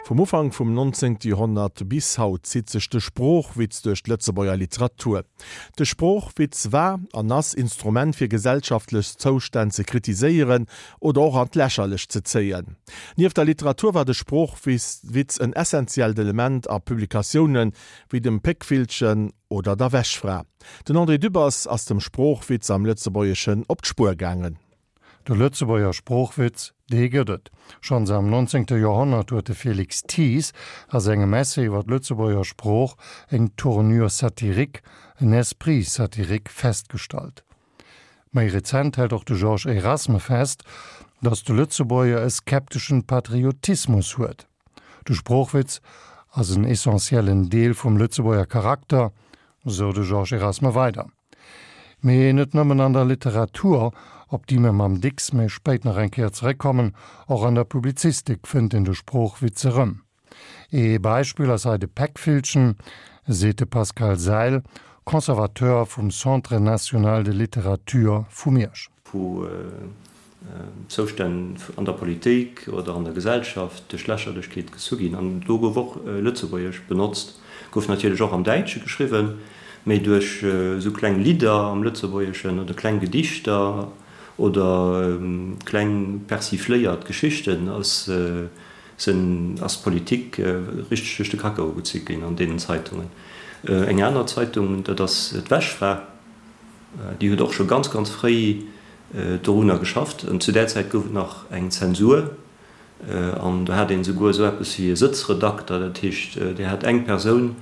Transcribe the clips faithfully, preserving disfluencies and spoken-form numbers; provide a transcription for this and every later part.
Vum Ufank vum nonzéngte Joerhonnert bis haut zitt sech de Sproochwitz duerch d'Lëtzebuerger Literatur. De Sproochwitz war an ass Instrument fir gesellschaftlech Zoustänn ze kritiséieren oder och an d'Lächerlecht ze zéien. Nieft der Literatur war de Sproochwitz en essentiellt Element a Publikatioune wéi dem Péckvillchen oder der Wäschfra. Den André Dübbers ass dem Sproochwitz am Lëtzebuergeschen op d'Spuer gaangen. De Lëtzebuerger Sproochwitz, dee gëtt et. Schonns am nonzéngte Joerhonnert huet de Félix Thies a sengem Essai iwwer d'Lëtzebuerger Sprooch eng tournure satirique, en esprit satirique festgestallt. Méi rezent hält och de Georges Erasme fest, datt de Lëtzebuerger e skepteschen Patriotismus huet. De Sproochwitz ass en essentiellen Deel vum Lëtzebuerger Charakter, sou de Georges Erasme weider. Mee net nëmmen an der Literatur, op déi mir mam Dicks méi spéit nach eng Kéier zeréckkommen, och an der Publizistik fënnt een de Sproochwitz erëm. Ee Beispill ass hei de Péckvillchen, seet de Pascal Seil, Conservateur vum Centre national de littérature vu Miersch. Wou Zoustänn an der Politik oder an der Gesellschaft duerch Lächerlechkeet gezu ginn. An do gouf och Lëtzebuergesch benotzt, gouf natierlech och am Däitsche geschriwwen, mee duerch esou kleng Lidder am Lëtzebuergeschen oder kleng Gedichter oder kleng persifléiert Geschichten ass ass d'Politik richteg duerch de Kakao gezu ginn an deenen Zeitungen. Eng aner Zeitung, dat ass d'Wäschfra, déi huet och scho ganz, ganz fréi dorunner geschafft. An zu där Zäit gouf et nach eng Zensur an do hat een esouguer esou eppes wéi e Sëtzredakter. Dat heescht, dir hat eng Persoun,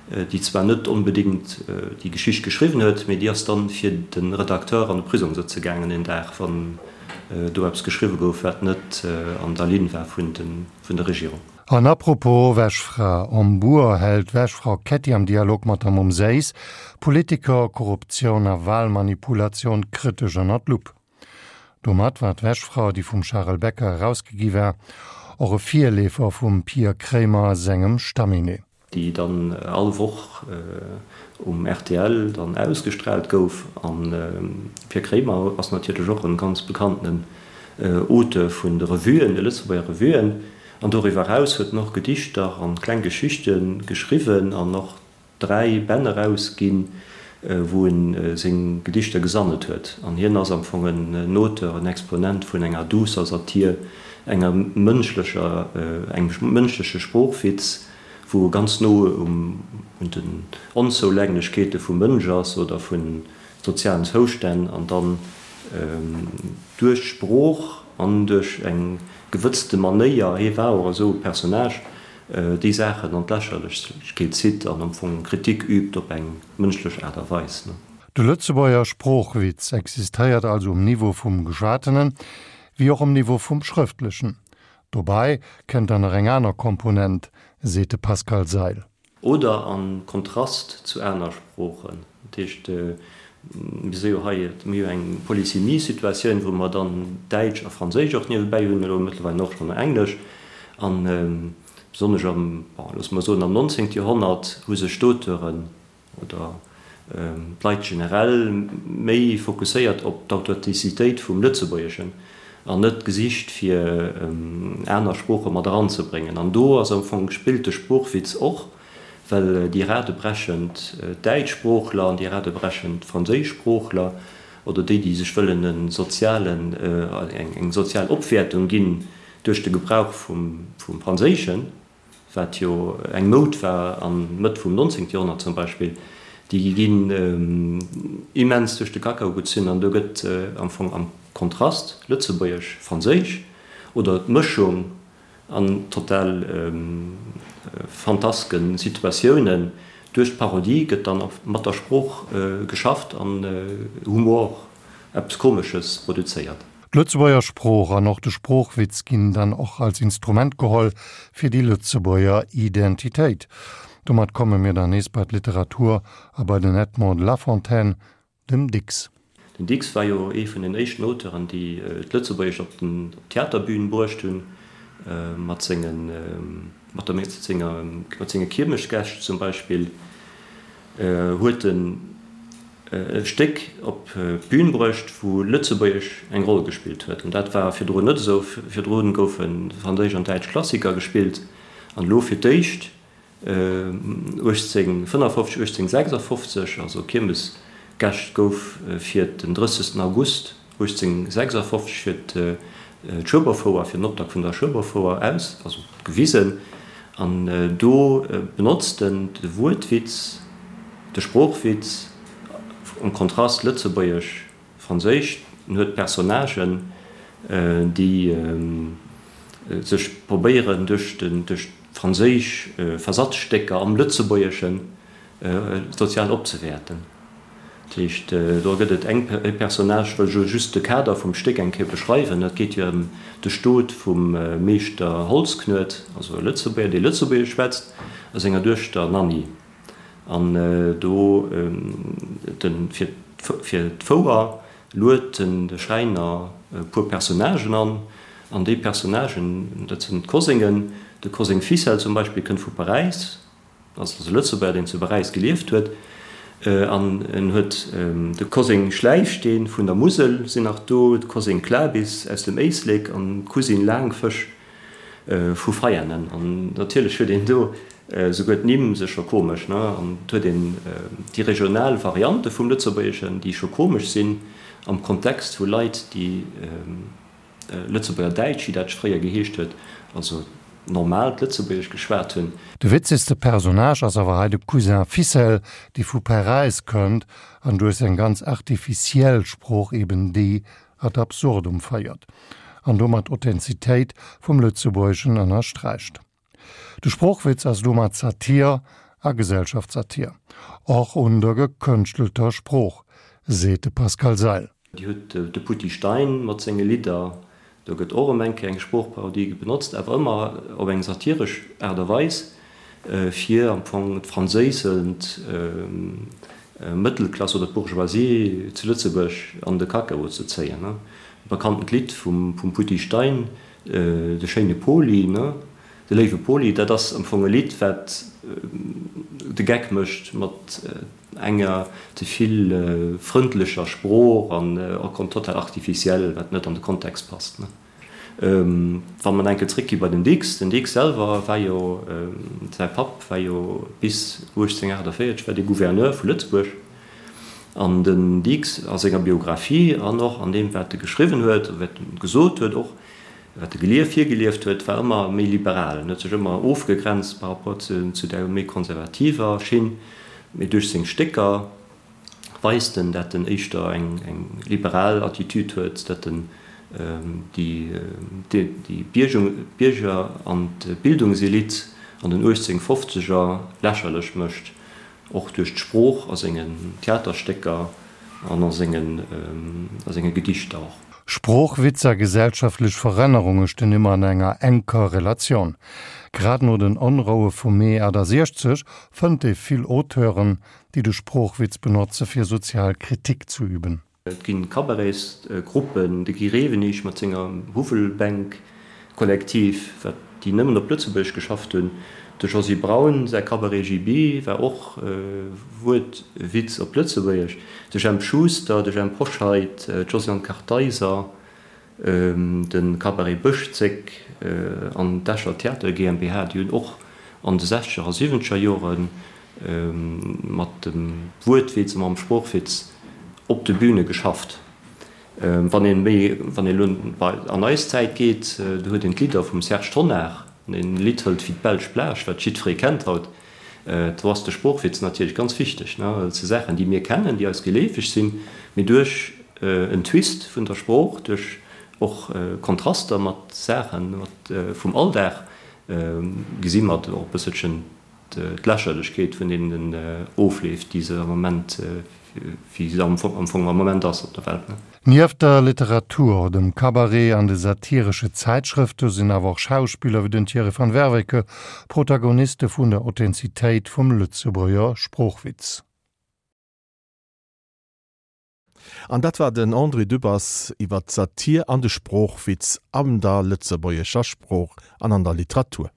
déi zwar net onbedéngt déi Geschicht geschriwwen huet, mee déi ass dann fir de Redakteur an de Prisong sëtze gaangen een Dag, wann do eppes geschriwwe gouf, wat net an der Linn war vun der Regierung. An apropos Wäschfra, Am Buer hält d'Wäschfra Ketty am Dialog mat der Mumm Séiss Politiker, Korruptioun a Walmanipulatioun kritesch ënner d'Lupp. Domat war d'Wäschfra, déi vum Charel Becker erausgegi war, och e Virleefer vum Pir Kremer sengem Stamminet. déi dann all Woch um rtl dann ausgestraalt gouf. An de Pir Kremer ass natierlech och e ganz bekanntenen Auteur vun de Revuen, de Lëtzebuerger Revuen. An doriwwer eraus huet en och Gedichter an kleng Geschichte geschriwwen an och dräi Bänn erausginn, wou en seng Gedichter gesammelt huet. An hien ass am Fong en Auteur, en Exponent vun enger duusser Satir, enger mënschlecher, engem mënschleche Sproochwitz, wou e ganz no un den Onzoulänglechkeete vum Mënsch ass oder vu sozialen Zoustänn an dann duerch d'Sprooch an duerch eng gewëtzte Manéier, hie war och esou e Personnage, déi Saachen an d'Lächerlechkeet zitt an am Fong Kritik übt op eng mënschlech Aart a Weis. De Lëtzebuerger Sproochwitz existéiert also um Niveau vum Geschwatenen, wéi och um Niveau vum Schrëftlechen. Dobäi kënnt dann nach eng aner Komponent, seet de Pascal Seil. Oder a Kontrast zu aner Sproochen. Dat heescht, mir si jo hei, mir hu jo eng Polysémie-Situatioun, wou mer dann Däitsch a Franséisch och niewebäi hunn, elo mëttlerweil och schonn Englesch. A besonnesch am, bon, loosse mer soen am nonzéngte Joerhonnert hu sech d'Auteuren oder d'Leit generell méi fokusséiert op d'Authentizitéit vum Lëtzebuergeschen an net gesicht fir aner Sprooche mat eranzebréngen. An do ass am Fong, spillt de Sproochwitz och, well déi radebrechend Däitschsproochler an déi radebrechend Franséischsproochler oder déi, déi sech wëllen e sozialen, eng sozial Opwäertung ginn duerch de Gebrauch vum Franséischen, wat jo eng Moud war an Mëtt vum nonzéngte Joerhonnert zum Beispill, déi ginn immens duerch de Kakao gezunn an do gëtt am Fong am Kontrast Lëtzebuergesch-Franséisch oder d'Mëschung an total fantaske Situatiounen duerch d'Parodie gëtt dann mat der Sprooch geschafft an Humor, eppes Komesches produzéiert. D'Lëtzebuerger Sprooch an och de Sproochwitz ginn dann och als Instrument geholl fir déi Lëtzebuerger Identitéit. Domat komme mir dann nees bei d'Literatur a bei den Edmond de La Fontaine, dem Dicks. Den Dicks war jo ee vun den éischten Auteuren, déi d'Lëtzebuergescht op d'Theaterbün bruecht hunn, mat sengen, mat der, senger, mat senge Kiermesgäscht zum Beispill huet en e Stéck op d'Bün bruecht, wou Lëtzebuergesch eng Roll gespillt huet. An dat war virdrun net esou. Virdrun goufe franséisch an däitsch Klassiker gespillt An elo fir d'éischt uechtzénhunnertfënnefofzeg, uechtzénhunnertsechsafofzeg, also Kiermesgäscht gouf fir den drëssegsten August uechtzénhunnertsechsafofzeg fir d'Schueberfouer, fir den Optakt vun der Schueberfouer aus, also gewisen. An do benotzt en de Wuertwitz, de Sproochwitz am Kontrast Lëtzebuergesch-Franséisch. En huet Personnagen, déi sech probéieren duerch franséisch Versatzstécker am Lëtzebuergesche sozial opzewäerten. Dat heescht, do gëtt et eng e Personnage, wëll ech elo just de Kader vum Stéck eng Kéier beschreiwen, dat geet jo ëm de Stot vum Meeschter Holzknuet, also e Lëtzebuerger, dee Lëtzebuergesch schwätzt, a senger Duechter Nanni. An do de fir fir d'Fouer luet den de Schräiner e puer Personnagen an, an déi Personnagen, dat sinn d'Koséngen, de Koséng Ficelle zum Beispill kënnt vu Paräis, ass also Lëtzebuerger, deen zu Paräis gelieft huet, an en huet de Koséng Schläifsteen vun der Musel sinn nach do, de Koséng Klabis aus dem Éislek an d'Cousine Laangfësch vu Veianen. An natierlech huet een do souguer d'Nimm si scho komesch, ne, an et huet een déi regional Variante vum Lëtzebuergeschen, déi scho komesch sinn am Kontext vu Leit, déi Lëtzebuerger Däitsch, wéi dat fréier geheescht huet, also normaalt Lëtzebuergesch geschwat hunn. De witzegste Personnage ass awer hei de Cousin Ficelle, dee vu Paräis kënnt an duerch seng ganz artificiell Sprooch eben déi ad absurdum féiert an domat d'Authentizitéit vum Lëtzebuergeschen ënnersträicht. De Sproochwitz ass domat Satir a Gesellschaftssatir, och un der gekënschtelter Sprooch, seet de Pascal Seil. Dir hutt de Poutty Stein mat senge Lidder, do gëtt och erëm eng Kéier eng Sproochparodie benotzt, awer ëmmer op eng satiresch Aart a Weis, fir am Fong d'franséisend Mëttelklass oder d'Bourgeoisie zu Lëtzebuerg an de Kakao ze zéien. E bekanntent Lidd vum Poutty Stein, De schéine Poli, de léiwe Poli, dat ass am Fong e Lidd, wat de Geck mécht mat enger ze vill frëndlecher Sprooch an och total artificiel, wat net an de Kontext passt. Wa mer enke zréckgi bei den Dicks, den Dicks selwer war jo, säi Papp war jo bis uechtzénhunnertaachtavéierzeg war dee Gouverneur vu Lëtzebuerg an den Dicks a senger Biographie an och an deem wat e geschriwwen huet, wat e gesot huet och, wat e gelieft, virgelieft huet, war ëmmer méi liberal. En huet sech ëmmer ofgegrenzt par rapport zu der méi konservativer Schinn. Mee duerch seng Stécker weist en, dat en éischter eng liberal Attitüd huet, dat en déi Bierger an d'Bildungselite an den uechtzénhunnertfofzeger lächerlech mécht, och duerch d'Sprooch a sengen Theaterstécker an a senge Gedichter och. Sproochwitz a gesellschaftlech Verännerunge stinn ëmmer an enger enker Relatioun. Grad no den Onroue vum Mee achtasiechzeg fënnt ee vill Auteuren, déi de Sproochwitz benotze fir sozial Kritik ze üben. Et ginn Cabaretsgruppen, de Guy Rewenig mat senger Huwwelbänk-Kollektiv, wat déi nëmmen op Lëtzebuergesch geschafft hunn, de Josy Braun säi Cabaret J B war och Wuertwitz op Lëtzebuergesch, de Jemp Schuster, de Jemp Hoscheit, d'Josiane Kartheiser, de Cabaret Bëschzéck an d'Escher Theater GmbH, déi hunn och an de sechzeger a siwwenzeger Jore mat dem Wuertwitz a mam Sproochwitz op de Büne geschafft. Wann een méi, wann een elo bei an eis Zäit geet, do huet een d'Lidder vum Serge Tonnar, wann een e Lidd hëlt wéi D'belsch Plage, wat jiddweree kennt haut, do ass de Sproochwitz natierlech ganz wichteg, ne. Dat si Saachen, déi mir kennen, déi eis geleefeg sinn, mee duerch en Twist vun der Sprooch, duerch och Kontraster mat Saachen vum Alldag, gesi mer och e bësselchen d'Lächerlechkeet vun deenen Ofleef, déi se am Moment, wéi se am Fong am Moment ass op der Welt. Nieft der Literatur, dem Cabaret an de satiresche Zäitschrëfte sinn awer och Schauspiller wéi den Thierry van Werveke Protagoniste vun der Authentizitéit vum Lëtzebuerger Sproochwitz. An dat war den André Dübbers iwwer d'Satir an de Sproochwitz an der lëtzebuergescher Sprooch an an der Literatur.